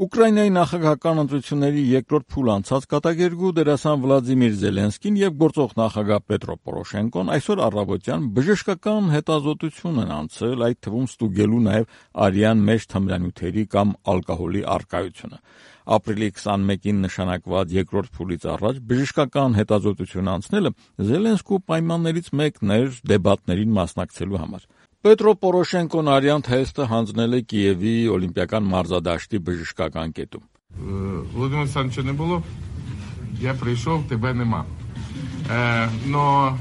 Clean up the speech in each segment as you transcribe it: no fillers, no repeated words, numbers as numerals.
Ուկրաինայի նախագահական ընտրությունների երկրորդ փուլ անցած կատակերգու դերասան Վլադիմիր Զելենսկին եւ գործող նախագահ Պետրո Պորոշենկոն այսօր առավոտյան բժշկական հետազոտություն են անցել, այդ թվում ստուգելու նաեւ արյան մեջ թմրանյութերի կամ ալկոհոլի առկայությունը։ Ապրիլի 21-ին նշանակված երկրորդ փուլից առաջ բժշկական հետազոտություն անցնելը Զելենսկու պայմաններից մեկն էր դեբատներին մասնակցելու համար։ Պետրո Պորոշենկոն արյան թեստը հանձնել է Կիևի Օլիմպիական մարզադաշտի բժշկական կետում։ Володимира Александровича не було, я прийшов, тебе нема. Но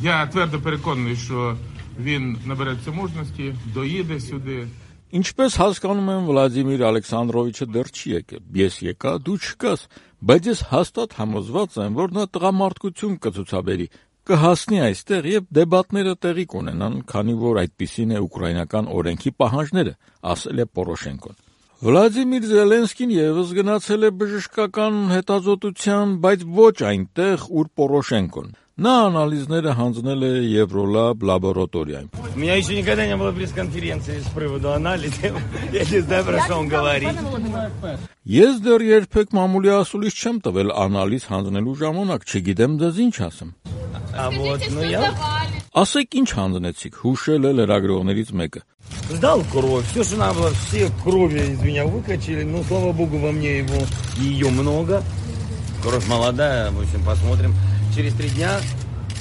я твердо переконаний, що він набереться мужності, доїде сюди. Ինչպես հասկանում եմ, Վլադիմիր Ալեքսանդրովիչը դեռ չի եկել։ Ես եկա, դու չկաս, բայց ես հաստատ համոզված եմ, որ նա տղամարդկություն կցուցաբերի, կհասնի այստեղ եւ դեբատները տեղի կունենան, քանի որ այդպիսին է ուկրաինական օրենքի պահանջները, ասել է Պորոշենկոն։ Վլադիմիր Զելենսկին եւս գնացել է բժշկական հետազոտության, բայց ոչ այնտեղ, ուր Պորոշենկոն։ Նա անալիզները հանձնել է Եվրոլաբ լաբորատորիայում։ У меня еще никогда не было пресс-конференции с приводу анализа. Я не знаю, про что он говорит. Ես դեռ երբեք մամուլի ասուլիս չեմ տվել անալիզ հանձնելու ժամանակ, չգիտեմ դες ինչ ասեմ։ А вот, ну я Ասեք ինչ հանձնեցիք, հուշել է լրագրողներից մեկը։ сдал кровь. Все, что надо было, все крови из меня выкачали. Ну, слава богу, во мне ее много. Кровь молодая, в общем, посмотрим. Через 3 дня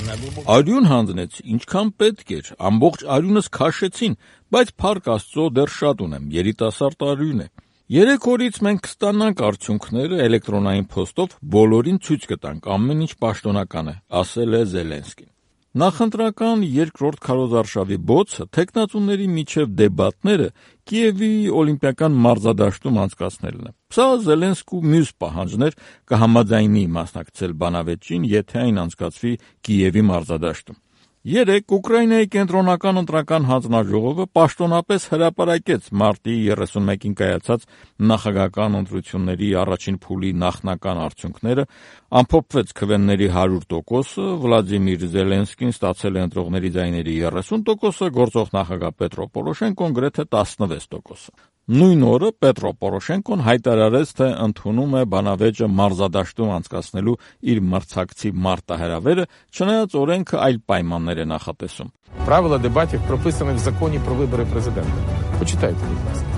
на глубоком... Արյուն հանձնեց, ինչքան պետք էր, ամբողջ արյունս քաշեցին, բայց փառք Աստծո դեռ շատ ունեմ, երիտասարդ արյուն է։ 3 օրից մենք կստանանք արդյունքները էլեկտրոնային փոստով, բոլորին ցույց կտանք, ամեն ինչ պաշտոնական է, ասել է Զելենսկին։ Նախընտրական երկրորդ քարոզարշավի բոցը թեկնածուների միջև դեբատները Կիևի Օլիմպիական մարզադաշտում անցկացնելն է։ Սա Զելենսկու մյուս պահանջն էր կհամաձայնի մասնակցել բանավեճին, եթե այն անցկացվի Կիևի մարզադաշտում։ 3 Ուկրաինայի կենտրոնական ընտրական հանձնաժողովը պաշտոնապես հրապարակեց մարտի 31-ին կայացած նախագահական ընտրությունների առաջին փուլի նախնական արդյունքները, ամփոփվեց քվեների 100%-ը, Վլադիմիր Զելենսկին ստացել է ընտրողների ձայների 30%-ը, գործող նախագահ Պետրո Պորոշենկոն գրեթե 16%-ը։ Նույն օրը Պետրո Պորոշենկոն հայտարարեց, թե ընդունում է բանավեճը մարզադաշտում անցկացնելու իր մրցակցի մարտահրավերը, չնայած օրենքը այլ պայմաններ է նախատեսում։ Правила дебатів прописані в законі про вибори президента. Почитайте, будь ласка.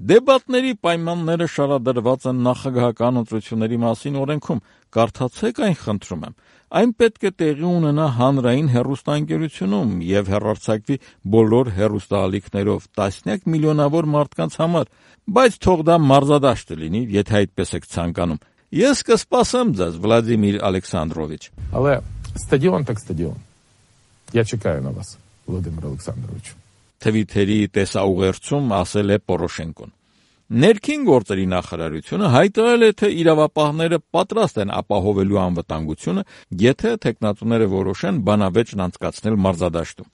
Դեբատների պայմանները շարադրված են նախագահական ընտրությունների մասին օրենքում։ Կարդացեք այն, խնդրում եմ։ Այն պետք է տեղի ունենա հանրային հեռուստաընկերությունում եւ հեռարձակվի բոլոր հեռուստաալիքներով տասնյակ միլիոնավոր մարդկանց համար, բայց թող դա մարզադաշտ լինի, եթե այդպես եք ցանկանում։ Ես կսպասեմ ձեզ, Վլադիմիր Ալեքսանդրովիչ։ Але стадіон так стадіон. Я чекаю на вас, Володимир Олександрович. Թվիթերի տեսաուղերձում ասել է Պորոշենկոն։ Ներքին գործերի նախարարությունը հայտարարել է, թե իրավապահները պատրաստ են ապահովելու անվտանգությունը, եթե թեկնածուները որոշեն բանավեճն անցկացնել մարզադաշտում։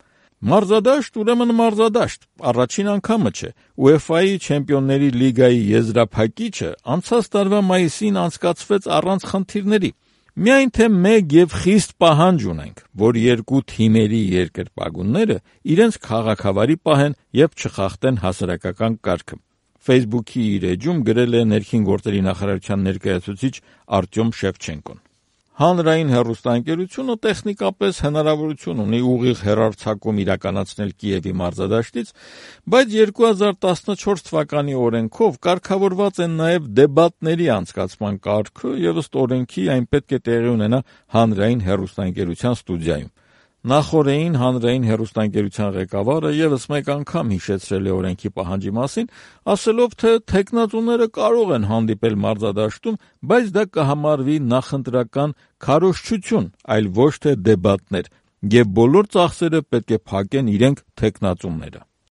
Մարզադաշտ ուրեմն մարզադաշտ, առաջին անգամը չէ։ UEFA-ի Չեմպիոնների լիգայի եզրափակիչը անցած տարվա մայիսին անցկացվեց առանց խնդիրների։ Միայն թե մեկ եւ խիստ պահանջ ունենք, որ երկու թիմերի երկրպագունները իրենց քաղաքավարի պահեն եւ չխախտեն հասարակական կարգը։ Facebook-ի իր էջում գրել է ներքին գործերի նախարարության ներկայացուցիչ Արտյոմ Շևչենկոն։ Հանրային հեռուստաընկերությունը տեխնիկապես հնարավորություն ունի ուղիղ հեռարձակում իրականացնել Կիևի մարզադաշտից, բայց 2014 թվականի օրենքով կարգավորված են նաև դեբատների անցկացման կարգը եւ ըստ օրենքի այն պետք է տեղի ունենա հանրային հեռուստաընկերության ստուդիայում։ Նախորդին հանրային հեռուստաընկերության ղեկավարը եւս մեկ անգամ հիշեցրել է օրենքի պահանջի մասին, ասելով, թե թեկնածուները կարող են հանդիպել մարզադաշտում, բայց դա կհամարվի նախընտրական քարոզչություն, այլ ոչ թե դեբատներ, եւ բոլոր ծախսերը պետք է փակեն իրենք թեկնածուները։